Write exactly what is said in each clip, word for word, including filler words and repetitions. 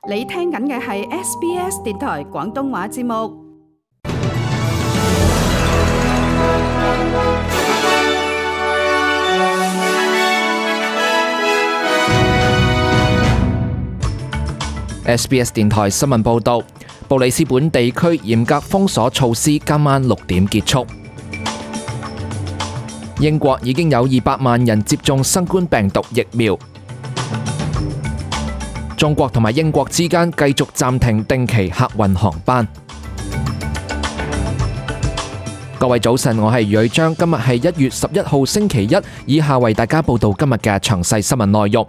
你聽緊嘅係 S B S 電台廣東話節目。S B S 電台新聞報導，布里斯本地區嚴格封鎖措施今晚六點結束。英國已經有二百萬人接種新冠病毒疫苗。中國同埋英國之間繼續暫停定期客運航班。各位早晨，我係余瑞章，今日係一月十一號星期一，以下為大家報道今日嘅詳細新聞內容。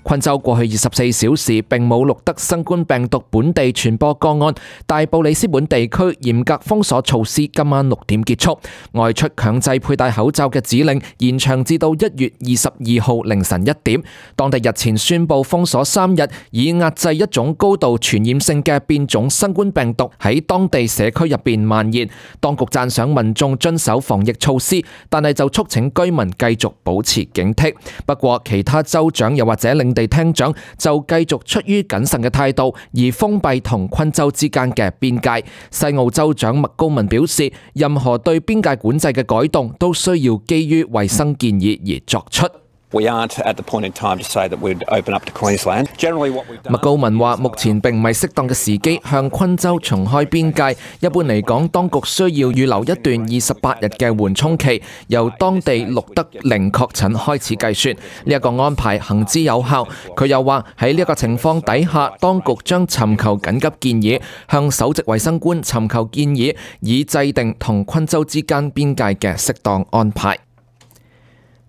昆州過去二十四小時並冇錄得新冠病毒本地傳播個案，大布里斯本地區嚴格封鎖措施今晚六點結束，外出強制佩戴口罩嘅指令延長至到一月二十二號凌晨一點。當地日前宣布封鎖三日，以壓制一種高度傳染性嘅變種新冠病毒喺當地社區入邊蔓延。當局讚賞民眾遵守防疫措施，但係就促請居民繼續保持警惕。不過其他州長又或者領地廳長就繼續出於謹慎嘅態度，而封閉同昆州之間嘅邊界。西澳州長麥高文表示，任何對邊界管制嘅改動都需要基於衛生建議而作出。We aren't at the point in time to say that we'd open up to Queensland. Generally, what we've done. 麥高文話：目前並唔係適當嘅時機向昆州重開邊界。一般嚟講，當局需要預留一段二十八日嘅緩衝期，由當地錄得零確診開始計算。呢一個安排行之有效。佢又話喺呢一個情況底下，當局將尋求緊急建議，向首席衛生官尋求建議，以制定同昆州之間邊界嘅適當安排。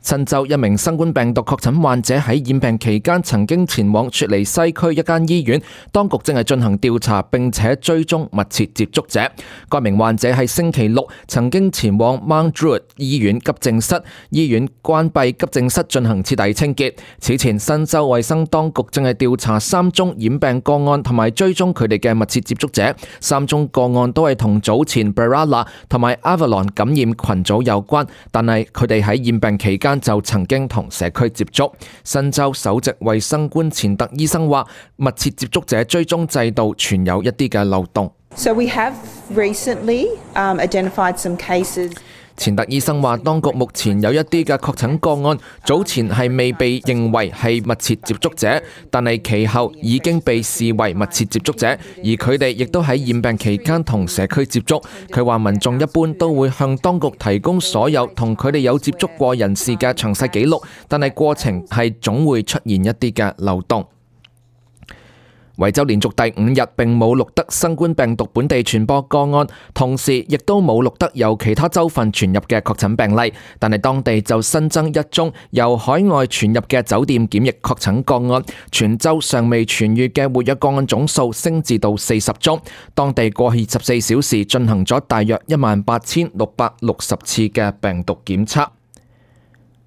新州一名新冠病毒確診患者喺染病期間曾經前往雪梨西區一間醫院，當局正係進行調查並且追蹤密切接觸者。該名患者喺星期六曾經前往 Mount Druitt 醫院急症室，醫院關閉急症室進行徹底清潔。此前，新州衛生當局正係調查三宗染病個案同埋追蹤佢哋嘅密切接觸者，三宗個案都係同早前 Berala 同埋 Avalon 感染群組有關，但係佢哋喺染病期間就曾經同社區接觸。新州首席衛生官錢特醫生話，密切接觸者追蹤制度存有一啲嘅漏洞。So we have recently um, identified some cases. 錢特醫生話，當局目前有一啲嘅確診個案，早前係未被認為係密切接觸者，但係其後已經被視為密切接觸者，而佢哋亦都喺染病期間同社區接觸。佢話民眾一般都會向當局提供所有同佢哋有接觸過人士嘅詳細記錄，但係過程係總會出現一啲嘅漏洞。維州連續第五日並冇錄得新冠病毒本地傳播個案，同時亦都冇錄得由其他州份傳入嘅確診病例，但係當地就新增一宗由海外傳入嘅酒店檢疫確診個案，全州尚未痊癒嘅活躍個案總數升至到四十宗。當地過去十四小時進行咗大約一萬八千六百六十次嘅病毒檢測。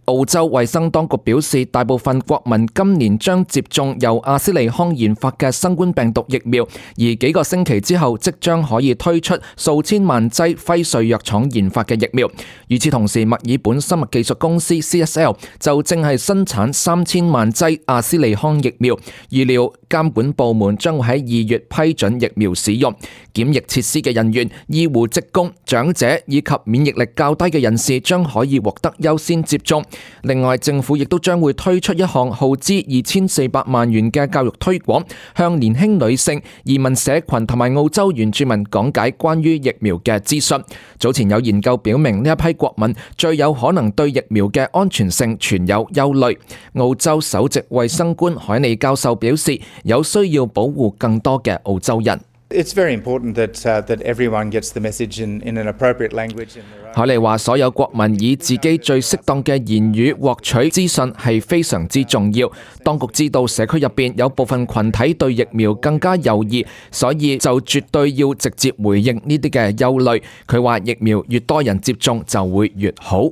澳洲衛生當局表示，大部分國民今年將接種由阿斯利康研發嘅新冠病毒疫苗，而幾個星期之後即將可以推出數千萬劑輝瑞藥廠研發嘅疫苗。與此同時，墨爾本生物技術公司 C S L 就正係生產三千萬劑阿斯利康疫苗，預料監管部門將會喺二月批准疫苗使用。檢疫設施嘅人員、醫護職工、長者以及免疫力較低嘅人士將可以獲得優先接種。另外，政府亦都將會推出一項耗資二千四百萬元嘅教育推廣，向年輕女性、移民社群同埋澳洲原住民講解關於疫苗嘅資訊。早前有研究表明，呢一批國民最有可能對疫苗嘅安全性存有憂慮。澳洲首席衛生官海尼教授表示，有需要保護更多嘅澳洲人。It's very important that, uh, that everyone gets the message in, in an appropriate language. 海尼話：所有國民以自己最適當嘅言語獲取資訊係非常之重要。當局知道社區入邊有部分群體對疫苗更加猶豫，所以就絕對要直接回應呢啲嘅憂慮。佢話疫苗越多人接種就會越好。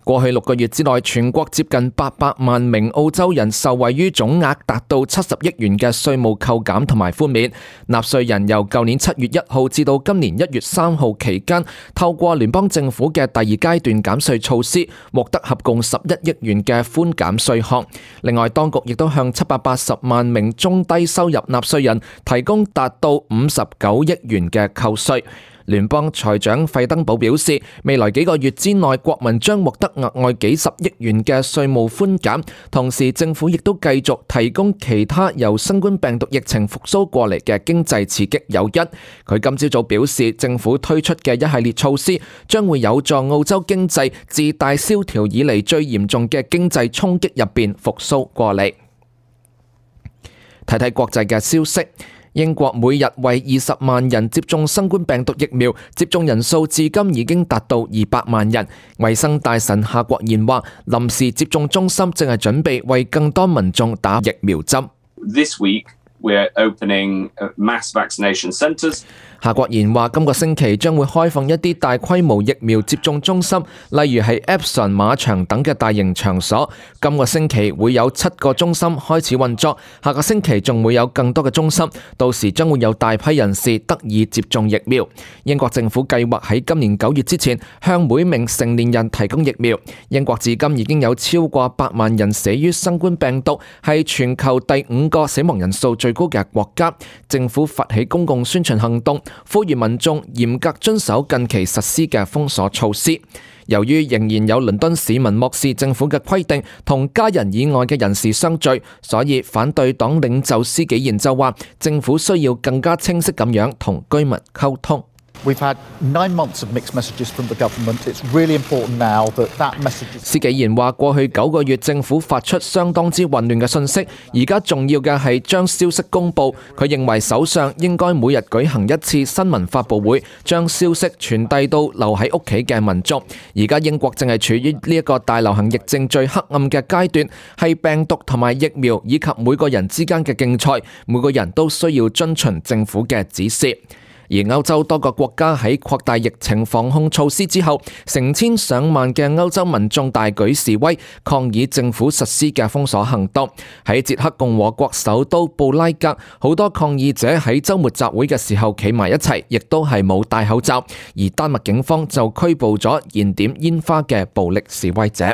過去六個月之內，全國接近八百萬名澳洲人受惠於總額達到七十億元嘅稅務扣減同埋寬免。納稅人由舊年七月一號至到今年一月三號期間，透過聯邦政府嘅第二階段減稅措施，獲得合共十一億元嘅寬減稅項。另外，當局亦都向七百八十萬名中低收入納稅人提供達到五十九億元嘅扣稅。聯邦財長費登堡表示，未來幾個月之內，國民將獲得額外幾十億元嘅稅務寬減，同時政府亦都繼續提供其他由新冠病毒疫情復甦過嚟嘅經濟刺激誘因。佢今朝早表示，政府推出嘅一系列措施將會有助澳洲經濟自大蕭條以嚟最嚴重嘅經濟衝擊入邊復甦過嚟。睇睇國際嘅消息。英國每日為二十萬人接種新冠病毒疫苗，接種人數至今已經達到二百萬人。衛生大臣夏國賢話，臨時接種中心正係準備為更多民眾打疫苗針。This week we're opening mass vaccination centres. 夏國賢話，今個星期將會開放一啲大規模疫苗接種中心，例如係 Epsom 馬場等嘅大型場所。今個星期會有七個中心開始運作，下個星期仲會有更多嘅中心，到時將會有大批人士得以接種疫苗。英國政府計劃喺今年九月之前向每名成年人提供疫苗。英國至今已經有超過百萬人死於新冠病毒，係全球第五個死亡人數最高嘅國家。政府發起公共宣傳行動，呼籲民眾嚴格遵守近期實施嘅封鎖措施。由於仍然有倫敦市民漠視政府嘅規定，同家人以外嘅人士相聚，所以反對黨領袖施紀賢就話，政府需要更加清晰咁樣同居民溝通。We've had nine months of mixed messages from the government. It's really important now that that message is... 施紀賢話，過去九個月政府發出相當之混亂嘅信息，而家重要嘅係將消息公佈。佢認為首相應該每日舉行一次新聞發佈會，將消息傳遞到留喺屋企嘅民眾。而家英國正係處於呢一個大流行疫症最黑暗嘅階段，係病毒同埋疫苗以及每個人之間嘅競賽，每個人都需要遵循政府嘅指示。而歐洲多個國家喺擴大疫情防控措施之後，成千上萬嘅歐洲民眾大舉示威，抗議政府實施嘅封鎖行動。喺捷克共和國首都布拉格，好多抗議者喺週末集會嘅時候企埋一齊，亦都係冇戴口罩。而丹麥警方就拘捕咗燃點煙花嘅暴力示威者。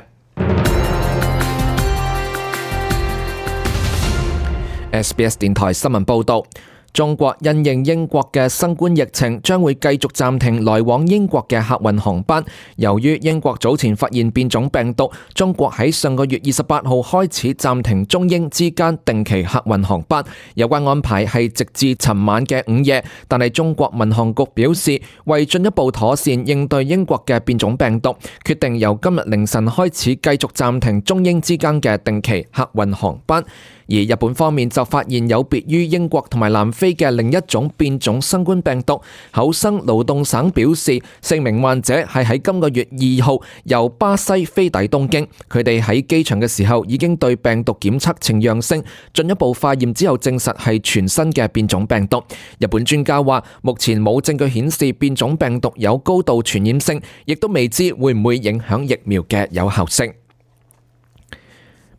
S B S 電台新聞報導。中國因應英國嘅新冠疫情，將會繼續暫停來往英國嘅客運航班。由於英國早前發現變種病毒，中國喺上個月二十八號開始暫停中英之間定期客運航班。有關安排係直至尋晚嘅午夜，但係中國民航局表示，為進一步妥善應對英國嘅變種病毒，決定由今日凌晨開始繼續暫停中英之間嘅定期客運航班。而日本方面就發現有別於英國同埋南非嘅另一種變種新冠病毒。厚生勞動省表示，四名患者係喺今個月二號由巴西飛抵東京，佢哋喺機場嘅時候已經對病毒檢測呈陽性，進一步化驗之後證實係全新嘅變種病毒。日本專家話，目前冇證據顯示變種病毒有高度傳染性，亦都未知會唔會影響疫苗嘅有效性。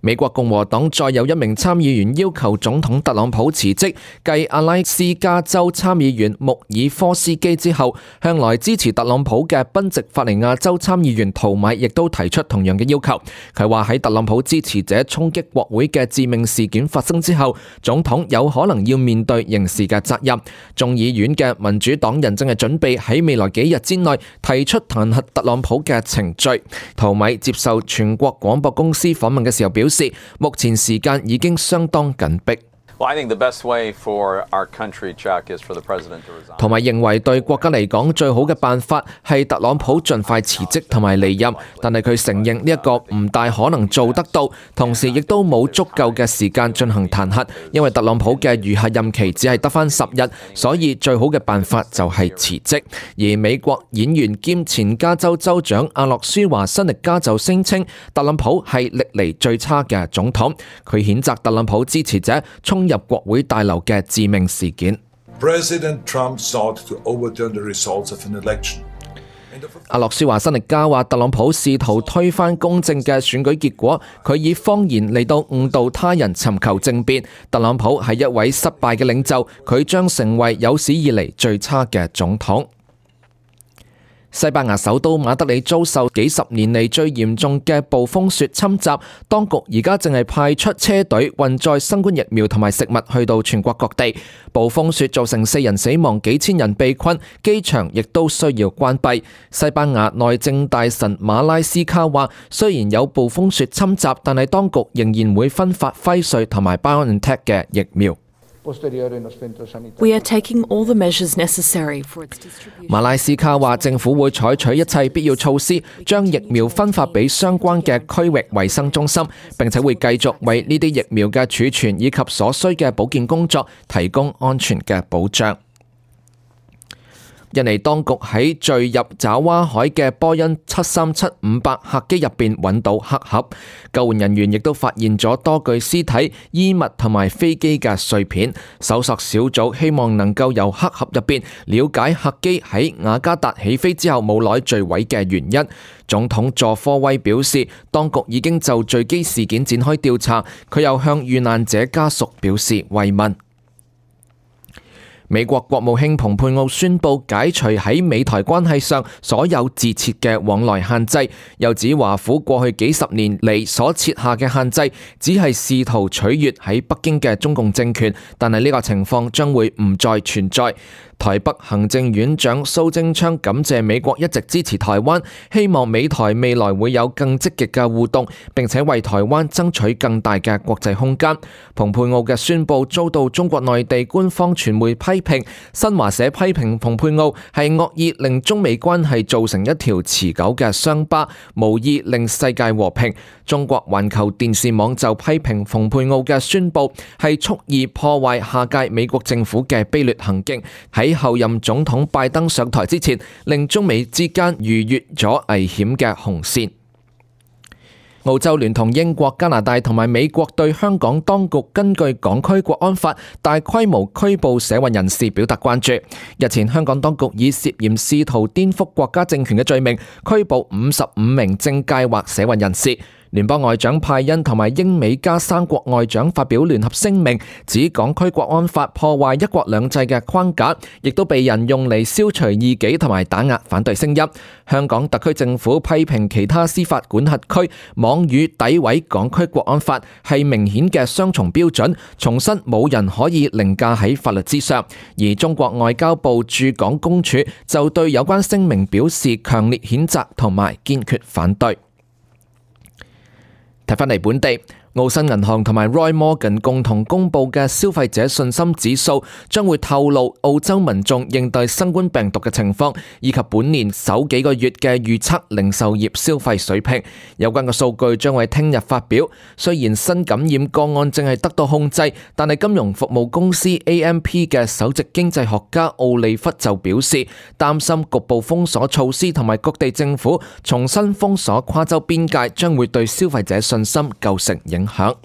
美國共和黨再有一名參議員要求總統特朗普辭職，繼阿拉斯加州參議員穆爾科斯基之後，向來支持特朗普嘅賓夕法尼亞州參議員陶米亦都提出同樣嘅要求。佢話喺特朗普支持者衝擊國會嘅致命事件發生之後，總統有可能要面對刑事嘅責任。眾議院嘅民主黨人正係準備喺未來幾日之內提出彈劾特朗普嘅程序。陶米接受全國廣播公司訪問嘅時候表示，目前時間已經相當緊迫。同埋認為對國家嚟講最好嘅辦法係特朗普盡快辭職同埋離任，但係佢承認呢一個唔大可能做得到，同時亦都冇足夠嘅時間進行彈劾，因為特朗普嘅餘下任期只係得返十日，所以最好嘅辦法就係辭職。而美國演員兼前加州州長阿諾舒華辛力加就聲稱特朗普係歷嚟最差嘅總統，佢譴責特朗普支持者衝入國會大樓嘅致命事件。President Trump sought to overturn the results of an election. 阿諾舒華辛力加話，特朗普試圖推翻公正嘅選舉結果，佢以謊言嚟到誤導他人尋求政變。特朗普係一位失敗嘅領袖，佢將成為有史以嚟最差嘅總統。西班牙首都馬德里遭受幾十年嚟最嚴重嘅暴風雪侵襲，當局而家正係派出車隊運載新冠疫苗同埋食物去到全國各地。暴風雪造成四人死亡，幾千人被困，機場亦都需要關閉。西班牙內政大臣馬拉斯卡話，雖然有暴風雪侵襲，但係當局仍然會分發輝瑞同埋 BioNTech 嘅疫苗。We are taking all the measures necessary for its distribution. 馬拉斯卡話，政府會採取一切必要措施，將疫苗分發俾相關嘅區域衛生中心，並且會繼續為呢啲疫苗嘅儲存以及所需嘅保健工作提供安全嘅保障。印尼當局喺墜入爪哇海嘅波音七三七五百客機入邊揾到黑盒，救援人員亦都發現咗多具屍體、衣物同埋飛機嘅碎片。搜索小組希望能夠由黑盒入邊了解客機喺雅加達起飛之後冇耐墜毀嘅原因。總統佐科威表示，當局已經就墜機事件展開調查，佢又向遇難者家屬表示慰問。美國國務卿蓬佩奧宣布解除喺美台關係上所有自設嘅往來限制，又指華府過去幾十年嚟所設下嘅限制，只係試圖取悅喺北京嘅中共政權，但係呢個情況將會唔再存在。台北行政院長蘇貞昌感謝美國一直支持台灣，希望美台未來會有更積極嘅互動，並且為台灣爭取更大嘅國際空間。蓬佩奧嘅宣佈遭到中國內地官方傳媒批評，新華社批評蓬佩奧係惡意令中美關係造成一條持久嘅傷疤，無意令世界和平。中國環球電視網就批評蓬佩奧嘅宣佈係蓄意破壞下屆美國政府嘅卑劣行徑，喺後任總統拜登上台之前，令中美之間逾越咗危險嘅紅線。澳洲聯同英國、加拿大同埋美國對香港當局根據港區國安法大規模拘捕社運人士表達關注。日前香港當局以涉嫌試圖顛覆國家政權嘅罪名拘捕五十五名政界或社運人士。聯邦外長派恩同埋英美加三國外長發表聯合聲明，指港區國安法破壞一國兩制嘅框架，亦都被人用嚟消除異己同埋打壓反對聲音。香港特區政府批評其他司法管轄區妄語詆毀港區國安法係明顯嘅雙重標準，重申冇人可以凌駕喺法律之上。而中國外交部駐港公署就對有關聲明表示強烈譴責同埋堅決反對。睇返嚟本地，澳新銀行同埋 Roy Morgan 共同公布嘅消費者信心指數將會透露澳洲民眾應對新冠病毒嘅情況，以及本年首幾個月嘅預測零售業消費水平。有關嘅數據將會聽日發表。雖然新感染個案正係得到控制，但係金融服務公司 A M P 嘅首席經濟學家奧利弗就表示，擔心局部封鎖措施同埋各地政府重新封鎖跨州邊界將會對消費者信心構成影響。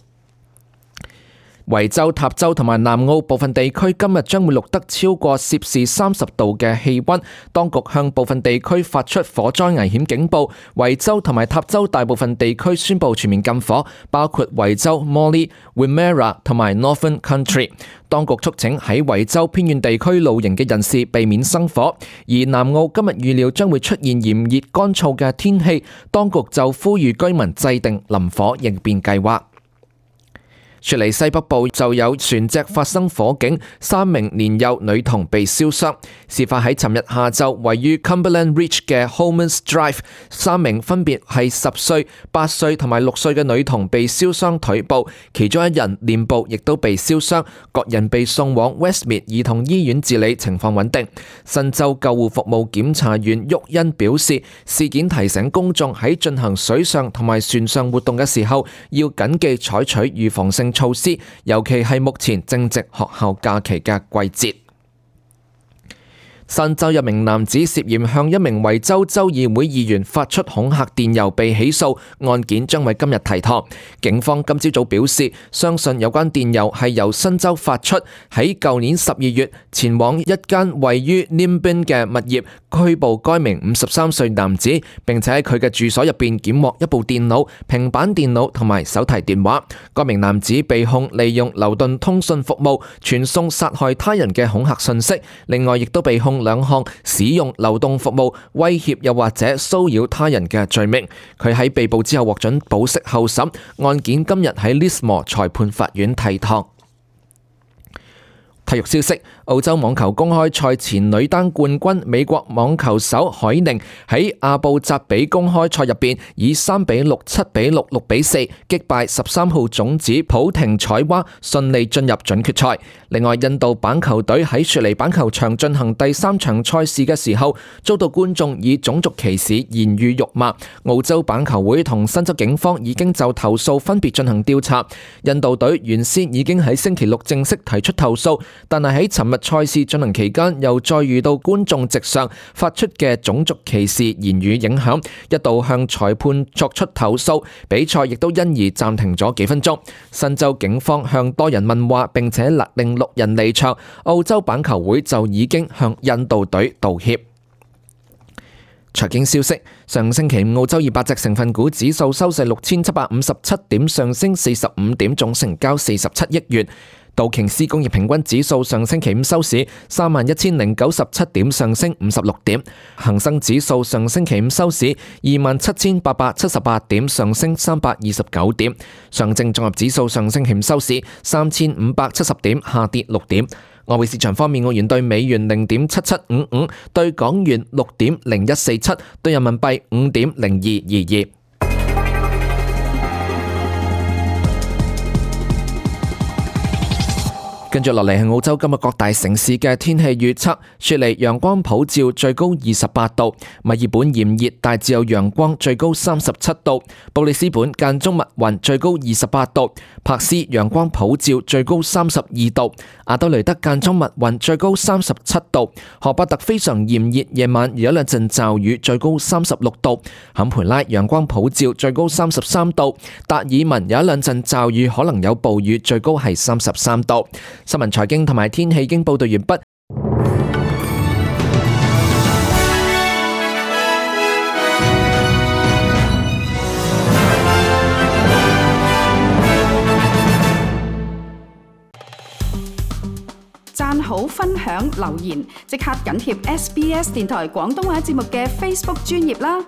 維州、塔州同埋南澳部分地區今日將會錄得超過攝氏三十度嘅氣溫，當局向部分地區發出火災危險警報。維州同埋塔州大部分地區宣布全面禁火，包括維州 Morley、Wimmera 同埋 Northern Country。當局促請喺維州偏遠地區露營嘅人士避免生火，而南澳今日預料將會出現炎熱乾燥嘅天氣，當局就呼籲居民制定林火應變計劃。雪梨西北部就有船隻發生火警，三名年幼女童被燒傷。事發喺尋日下晝，位於 Cumberland Ridge 嘅 Holmans Drive， 三名分別係十歲、八歲同埋六歲嘅女童被燒傷腿部，其中一人臉部亦都被燒傷，各人被送往 Westmead 兒童醫院治理，情況穩定。新州救護服務檢查員沃恩表示，事件提醒公眾喺進行水上同埋船上活動嘅時候，要謹記採取預防性措施，尤其係目前正值學校假期嘅季節。新州一名男子涉嫌向一名維州州議會議員發出恐嚇電郵被起訴，案件將喺今日提堂。警方今朝早表示，相信有關電郵係由新州發出，喺舊年十二月前往一間位於 Nimbin 嘅物業拘捕該名五十三歲男子，並且喺佢嘅住所入邊檢獲一部電腦、平板電腦同埋手提電話。該名男子被控利用流動通訊服務傳送殺害他人嘅恐嚇信息，另外亦都被控兩項使用流動服務威脅又或者騷擾他人嘅罪名。佢喺被捕之後獲准保釋候審，案件今日喺 Lismore 裁判法院提堂。體育消息，澳洲網球公開賽前女單冠軍美國網球手海寧喺阿布扎比公開賽入邊以三比六、七比六、六比四擊敗十三號種子普廷采娃，順利進入準決賽。另外，印度板球隊喺雪梨板球場進行第三場賽事嘅時候，遭到觀眾以種族歧視言語辱罵。澳洲板球會同新州警方已經就投訴分別進行調查。印度隊原先已經喺星期六正式提出投訴，但係喺尋日賽事進行期間，又再遇到觀眾席上發出嘅種族歧視言語影響，一度向裁判作出投訴，比賽亦都因而暫停咗幾分鐘。新州警方向多人問話，並且勒令六人離場。澳洲板球會就已經向印度隊道歉。財經消息，上星期五澳洲二百隻成分股指數收市六千七百五十七點，上升四十五點，總成交四十七億元。道瓊斯工業平均指數上星期五收市三萬一千零九十七點，上升五十六點。恒生指數上星期五收市二萬七千八百七十八點，上升三百二十九點。上證綜合指數上星期五收市三千五百七十點，下跌六點。外匯市場方面，澳元兌美元零點七七五五，兌港元六點零一四七，兌人民幣五點零二二二。跟住落嚟係澳洲今日各大城市嘅天氣預測。雪梨陽光普照，最高二十八度；墨爾本炎熱，大致有陽光，最高三十七度；布里斯本間中密雲，最高二十八度；柏斯陽光普照，最高三十二度；阿德雷德間中密雲，最高三十七度；荷伯特非常炎熱，夜晚有一兩陣驟雨，最高三十六度；坎培拉陽光普照，最高三十三度；達爾文有一兩陣驟雨，可能有暴雨，最高係三十三度。新聞、財經同埋天氣已經報道完畢。讚好、分享、留言，即刻緊貼 S B S 電台廣東話節目嘅 Facebook 專頁啦！